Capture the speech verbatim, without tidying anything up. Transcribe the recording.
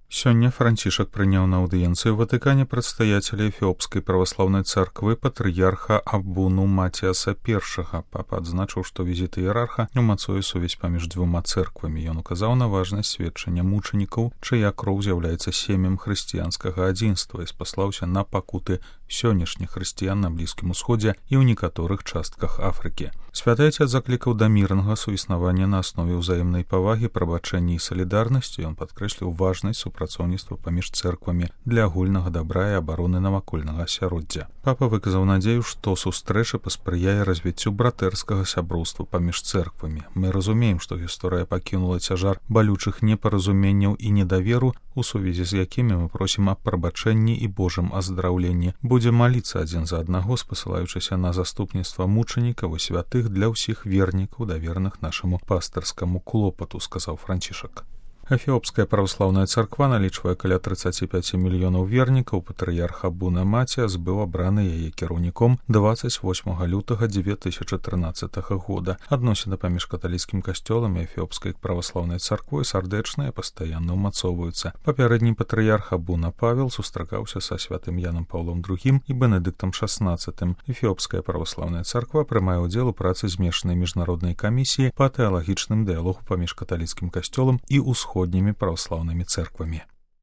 Сёння Францішак прыняў на аўдыенцыю ў Ватыкане прадстаяцеля эфіопскай праваслаўнай царквы патрыярха Абуну Матіаса першага. Папа адзначыў, што візіт іерарха умацуе сувязь паміж дзвюма цэрквамі. Ён указаў на важнасць сведчання мучанікаў, чыя кроў з'яўляецца сем'ем хрысціянскага адзінства, і спаслаўся на пакуты сённяшніх хрысціян на Блізкім Усходзе і ў некаторых частках Афрыкі. Святы Ацец заклікаў да мірнага суіснавання на аснове ўзаемнай павагі, прабачэння і салідарнасці. Ён падкрэсліў важнасць супрацоўніцтва паміж цэрквамі для агульнага дабра і абароны навакольнага асяроддзя. Папа выказаў надзею, што сустрэча паспрыяе развіццю братэрскага сяброўства паміж цэрквамі. Мы разумеем, што гісторыя пакінула цяжар балючых непаразуменняў і недаверу, у сувязі з якімі мы просім аб прабачэнні і Божым аздараўленні. Будзем маліцца адзін за аднаго, спасылаючыся на заступніцтва мучанікаў і святых для ўсіх вернікаў, давераных нашаму пастырскаму клопату, сказаў Францішак. Эфіопская праваслаўная царква налічвае каля тридцать пять мільёнаў вернікаў. Патрыярх Абуна Матіас быў абраны яе кіраўніком двадцать восьмага лютага две тысячи тринадцатага года. Адносіны паміж каталіцкім касцёлам і эфіопскай праваслаўнай царквой сардэчныя, пастаянна ўмацоўваюцца. Папярэдні патрыярх Абуна Павел сустракаўся са святым Янам Паўлом другім і Бенедыктам шаснаццатым. Эфіопская праваслаўная царква прымае ўдзел у працы змешанай міжнароднай камісіі па тэалагічным дыялогу паміж каталіцкім касцёлам і ўсходнімі праваслаўнымі цэрквамі.